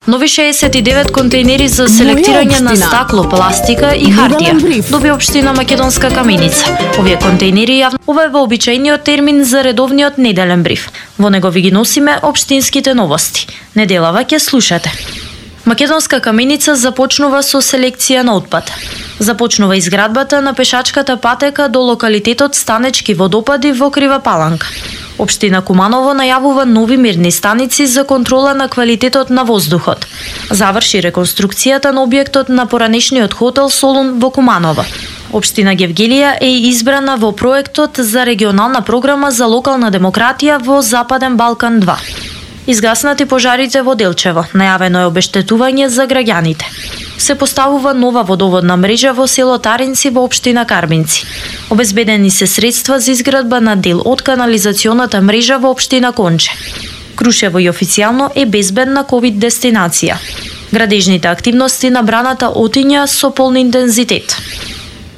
Нови 69 контейнери за селектирање на стакло, пластика и хартија доби општина Македонска Каменица. Овие контейнери ова е вообичајниот термин за редовниот неделен бриф. Во него ви ги носиме општинските новости. Неделава ќе слушате. Македонска Каменица започнува со селекција на отпад. Започнува изградбата на пешачката патека до локалитетот Станечки водопади во Крива Паланка. Општина Куманово најавува нови мерни станици за контрола на квалитетот на воздухот. Заврши реконструкцијата на објектот на поранешниот хотел Солун во Куманово. Општина Гевгелија е избрана во проектот за регионална програма за локална демократија во Западен Балкан 2. Изгаснати пожарите во Делчево, најавено е обештетување за граѓаните. Се поставува нова водоводна мрежа во село Таринци во општина Карбинци. Обезбедени се средства за изградба на дел од канализационата мрежа во општина Конче. Крушево и официјално е безбедна ковид дестинација. Градежните активности на браната отиња со полн интензитет.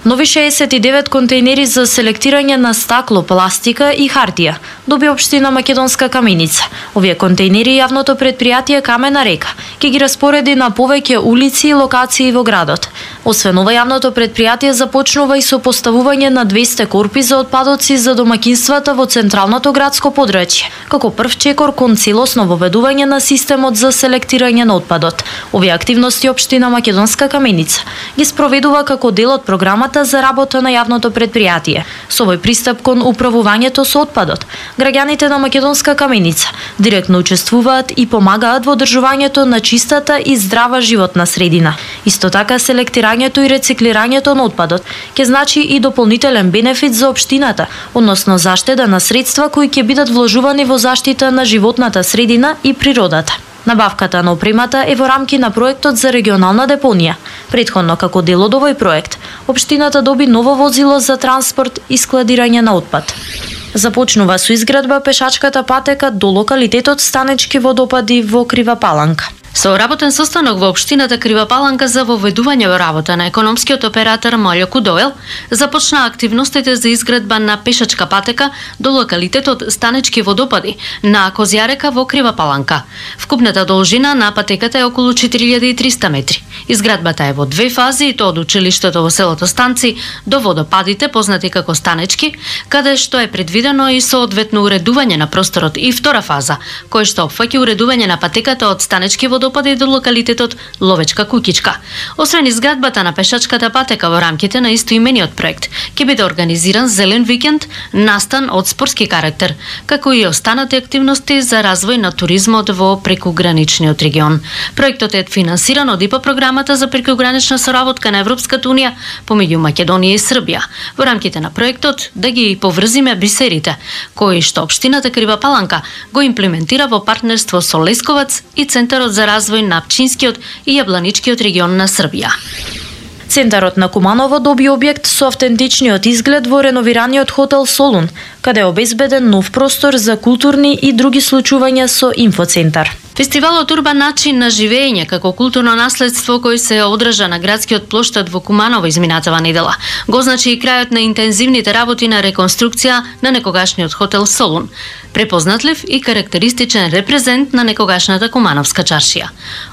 Нови 69 контейнери за селектирање на стакло, пластика и хартија доби општина Македонска Каменица. Овие контейнери јавното претпријатие Камена река ќе ги распореди на повеќе улици и локации во градот. Освен ова, јавното претпријатие започнува и со поставување на 200 корпи за отпадоци за домаќинствата во централното градско подрачје, како прв чекор кон целосно воведување на системот за селектирање на отпадот. Овие активности општина Македонска Каменица ги спроведува како дел од програмата за работа на јавното претпријатие. Со овој пристап кон управувањето со отпадот, граѓаните на Македонска Каменица директно учествуваат и помагаат во одржувањето на чистата и здрава животна средина. Исто така, селектирањето и рециклирањето на отпадот ќе значи и дополнителен бенефит за општината, односно заштеда на средства кои ќе бидат вложувани во заштита на животната средина и природата. Набавката на опремата е во рамки на проектот за регионална депонија. Претходно, како дел од овој проект, општината доби ново возило за транспорт и складирање на отпад. Започнува со изградба пешачката патека до локалитетот Станечки водопади во Крива Паланка. Со работен состанок во општината Крива Паланка за воведување во работа на економскиот оператор Молјо Кудоел започна активностите за изградба на пешачка патека до локалитетот Станечки водопади на Козјарека во Крива Паланка. Вкупната должина на патеката е околу 4300 метри. Изградбата е во две фази, и тоа од училиштето во селото Станци до водопадите познати како Станечки, каде што е предвидено и соодветно уредување на просторот, и втора фаза, која што опфаќа уредување на патеката од Станечки водопади до локалитетот Ловечка Куќичка. Освен изградбата на пешачката патека во рамките на истоимениот проект, ќе биде организиран зелен викенд, настан од спортски карактер, како и останати активности за развој на туризмот во прекуграничниот регион. Проектот е финансиран од ИПА програмата за прекугранична соработка на Европската унија помеѓу Македонија и Србија. Во рамките на проектот да ги поврзиме бисерите, кои што општината Крива Паланка го имплементира во партнерство со Лесковац и Центарот за развој на Пчинскиот и Јабланичкиот регион на Србија. Центарот на Куманово доби објект со автентичниот изглед во реновираниот хотел Солун, каде е обезбеден нов простор за културни и други случувања со инфоцентар. Фестивалот Урбан начин на живење како културно наследство кој се одржа на градскиот плоштад во Куманово изминатава недела го значи и крајот на интензивните работи на реконструкција на некогашниот хотел Солун, препознатлив и карактеристичен репрезент на некогашната Кумановска чаршија.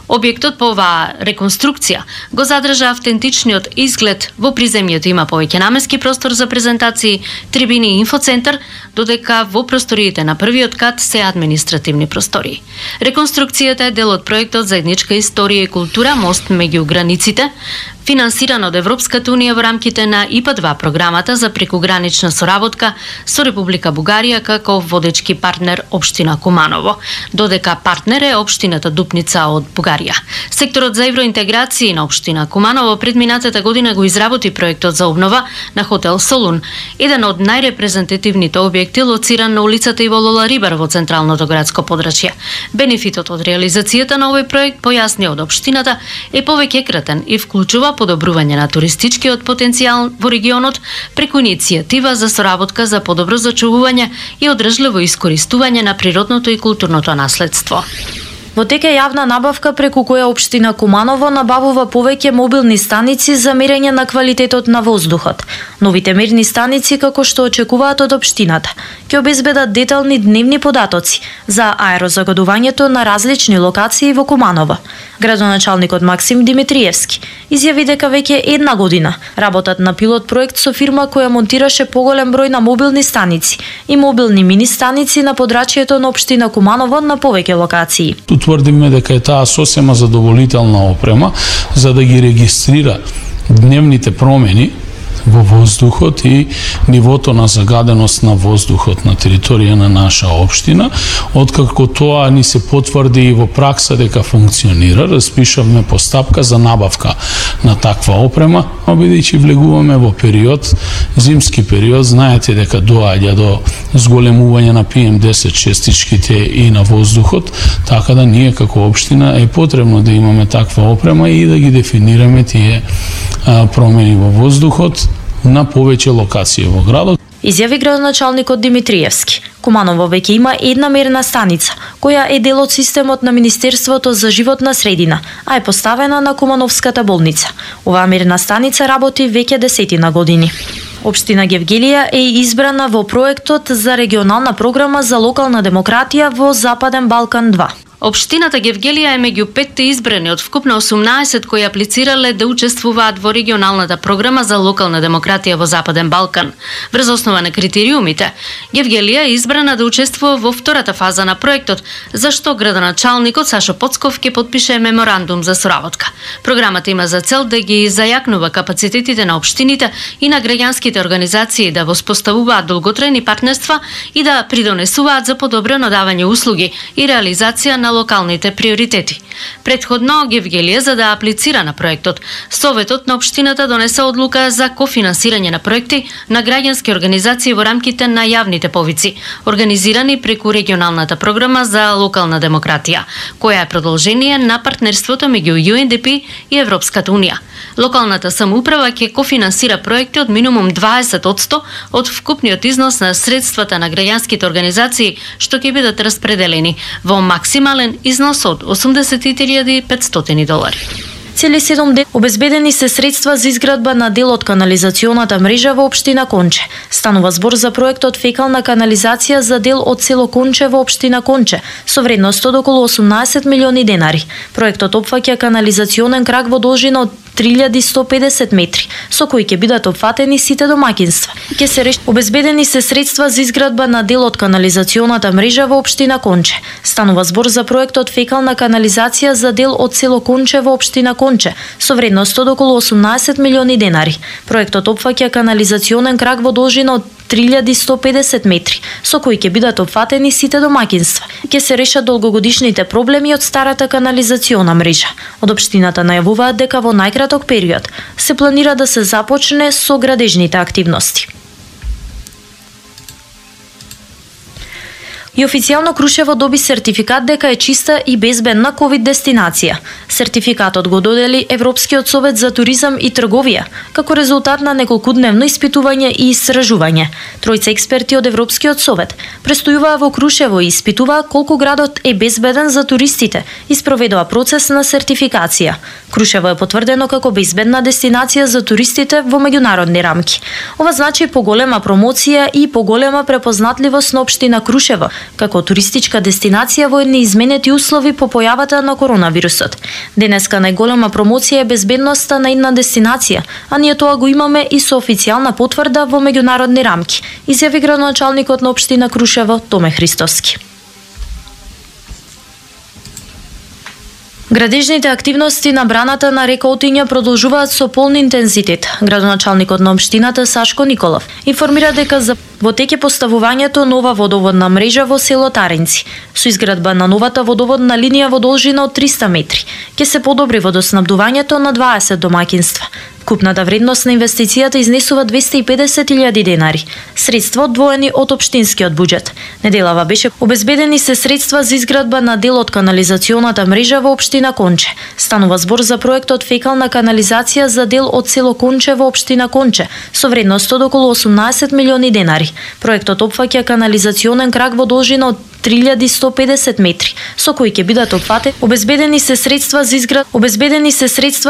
Објектот по оваа реконструкција го задржа автентичниот изглед, во приземјето има повеќе наменски простор за презентации, трибини и инфоцентар, додека во просториите на првиот кат се административни простории. Реконструкцијата е дел од проектот Заедничка историја и култура мост меѓу границите, финансиран од Европската унија во рамките на ИПА-2 програмата за прекугранична соработка со Република Бугарија како водечки партнер општина Куманово, додека партнер е општината Дупница од Бугарија. Секторот за евроинтеграција на општина Куманово предминатата година го изработи проектот за обнова на хотел Солун, еден од најрепрезентативните објекти лоциран на улицата Иво Лола Рибар во централното градско подрачје. Бенефитот од реализацијата на овој проект, појасни од општината, е повеќекратен и вклучува подобрување на туристичкиот потенцијал во регионот преку иницијатива за соработка за подобро зачувување и одржливо искористување на природното и културното наследство. Во тек е јавна набавка преку која општина Куманово набавува повеќе мобилни станици за мерење на квалитетот на воздухот. Новите мерни станици, како што очекуваат од општината, ќе обезбедат детални дневни податоци за аерозагадувањето на различни локации во Куманово. Градоначалникот Максим Димитриевски изјави дека веќе една година работат на пилот проект со фирма која монтираше поголем број на мобилни станици и мобилни мини станици на подрачјето на општина Куманово на повеќе локации. Тврдиме дека е таа сосема задоволителна опрема за да ги регистрира дневните промени во воздухот и нивото на загаденост на воздухот на територија на наша општина. Откако тоа ни се потврди и во пракса дека функционира, распишавме постапка за набавка на таква опрема, бидејќи влегуваме во период, зимски период, знаете дека доаѓа до зголемување на PM10 честичките и на воздухот, така да ние како општина е потребно да имаме таква опрема и да ги дефинираме тие промени во воздухот на повеќе локации во градот. Изјави градоначалникот Димитриевски. Куманово веќе има една мерна станица, која е дел од системот на Министерството за животна средина, а е поставена на Кумановската болница. Оваа мерна станица работи веќе 10 години. Општина Гевгелија е избрана во проектот за регионална програма за локална демократија во Западен Балкан 2. Општината Гевгелија е меѓу 5 избрани од вкупно 18 кои аплицирале да учествуваат во регионалната програма за локална демократија во Западен Балкан. Врз основа на критериумите, Гевгелија е избрана да учествува во втората фаза на проектот, за што градоначалникот Сашо Поцков ќе подпише меморандум за соработка. Програмата има за цел да ги зајакнува капацитетите на општините и на граѓанските организации да воспоставуваат долготрајни партнерства и да придонесуваат за подобрено давање услуги и реализација на локалните приоритети. Предходно Гевгелија, за да аплицира на проектот, Советот на општината донесе одлука за кофинансирање на проекти на граѓански организации во рамките на јавните повици, организирани преку регионалната програма за локална демократија, која е продолжение на партнерството меѓу UNDP и Европската унија. Локалната самоуправа ќе кофинансира проекти од минимум 20% од вкупниот износ на средствата на граѓанските организации, што ќе бидат распределени во максимален износ од $80,500. Цели 7 дена обезбедени се средства за изградба на дел од канализационата мрежа во општина Конче. Станува збор за проектот фекална канализација за дел од село Конче во општина Конче со вредност од околу 18 милиони денари. Проектот опфаќа канализационен крак во должина од 3150 метри, со кои ќе бидат опфатени сите домаќинства. Ќе се реши обезбедени се средства за изградба на дел од канализационата мрежа во општина Конче. Станува збор за проектот фекална канализација за дел од село Конче во општина Конче со вредност од околу 18 милиони денари. Проектот опфаќа канализационен крак во должина од 3150 метри, со кои ќе бидат опфатени сите домаќинства. Ќе се решат долгогодишните проблеми од старата канализациона мрежа. Од општината најавуваат дека во најкраток период се планира да се започне со градежните активности. И официјално Крушево доби сертификат дека е чиста и безбедна ковид дестинација. Сертификатот го додели Европскиот совет за туризам и трговија, како резултат на неколкудневно испитување и истражување. Тројца експерти од Европскиот совет престојуваа во Крушево и испитуваа колку градот е безбеден за туристите и спроведува процес на сертификација. Крушево е потврдено како безбедна дестинација за туристите во меѓународни рамки. Ова значи поголема промоција и поголема препознатливост на општина Крушево како туристичка дестинација во неизменети услови по појавата на коронавирусот. Денеска најголема промоција е безбедноста на една дестинација, а ние тоа го имаме и со официјална потврда во меѓународни рамки, изјави градоначалникот на општина Крушево Томе Христоски. Градежните активности на браната на река Отиња продолжуваат со полн интензитет. Градоначалникот на општината Сашко Николов информира дека во тек е поставувањето нова водоводна мрежа во село Таринци. Со изградба на новата водоводна линија во должина од 300 метри ќе се подобри водоснабдувањето на 20 домаќинства. Купната вредност на инвестицијата изнесува 250.000 денари, средства одвоени од општинскиот буџет. Неделава беше обезбедени се средства за изградба на дел од канализационата мрежа во општина Конче. Станува збор за проектот фекална канализација за дел од село Конче во општина Конче со вредност од околу 18 милиони денари. Проектот опфаќа канализационен крак во должина од 3150 метри, со кои ќе бидат опфатени. Обезбедени се средства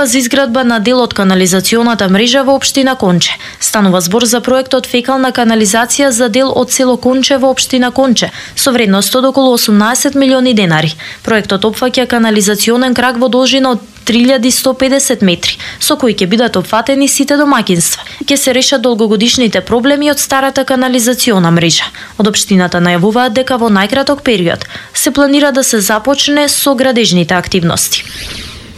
за изградба на дел од канализационата мрежа во општина Конче. Станува збор за проектот фекална канализација за дел од село Конче во општина Конче со вредност од околу 18 милиони денари. Проектот опфаќа канализационен крак во должина од 3150 метри, со кои ќе бидат опфатени сите домаќинства. Ќе се решат долгогодишните проблеми од старата канализациона мрежа. Од општината најавуваат дека во најкраток период се планира да се започне со градежните активности.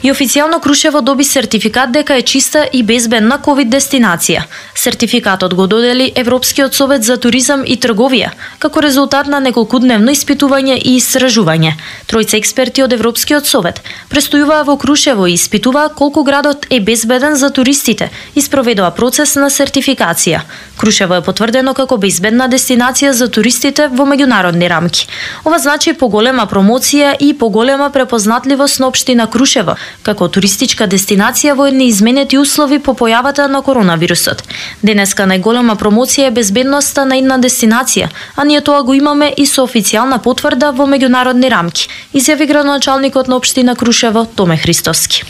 И официјално Крушево доби сертификат дека е чиста и безбедна ковид дестинација. Сертификатот го додели Европскиот совет за туризам и трговија, како резултат на неколкудневно испитување и истражување. Тројца експерти од Европскиот совет престојуваа во Крушево и испитуваа колку градот е безбеден за туристите и спроведоа процес на сертификација. Крушево е потврдено како безбедна дестинација за туристите во меѓународни рамки. Ова значи поголема промоција и поголема препознатливост на општина Крушево како туристичка дестинација во неизменети услови по појавата на коронавирусот. Денеска најголема промоција е безбедноста на една дестинација, а ние тоа го имаме и со официјална потврда во меѓународни рамки, изјави градоначалникот на општина Крушево Томе Христовски.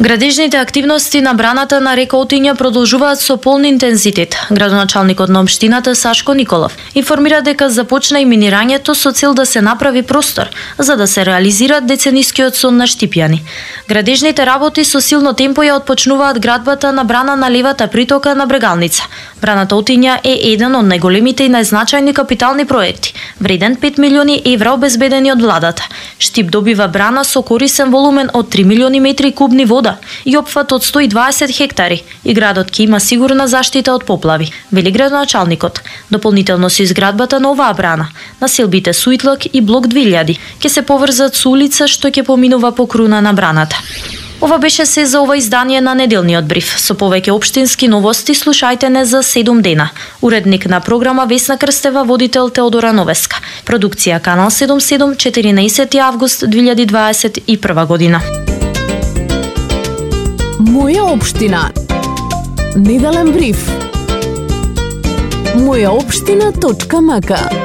Градежните активности на браната на река Отиња продолжуваат со полн интензитет. Градоначалникот на општината Сашко Николов информира дека започна и минирањето со цел да се направи простор за да се реализира деценискиот сон на Штипјани. Градежните работи со силно темпо ја отпочнуваат градбата на брана на левата притока на Брегалница. Браната Отиња е еден од најголемите и најзначајни капитални проекти, вреден 5 милиони евра обезбедени од владата. Штип добива брана со корисен волумен од 3 милиони метри кубни вода и опфат од 120 хектари и градот ќе има сигурна заштита од поплави, вели градоначалникот. Дополнително со изградбата на оваа брана, населбите Суитлак и блок 2000 ќе се поврзат со улица што ќе поминува по круна на браната. Ова беше се за ова издание на неделниот бриф. Со повеќе општински новости слушајте не за 7 дена. Уредник на програма Весна Крстева, водител Теодора Новеска. Продукција Канал 77, 14 август 2021 година. Моја општина. Неделен бриф. Мојаопштина.мк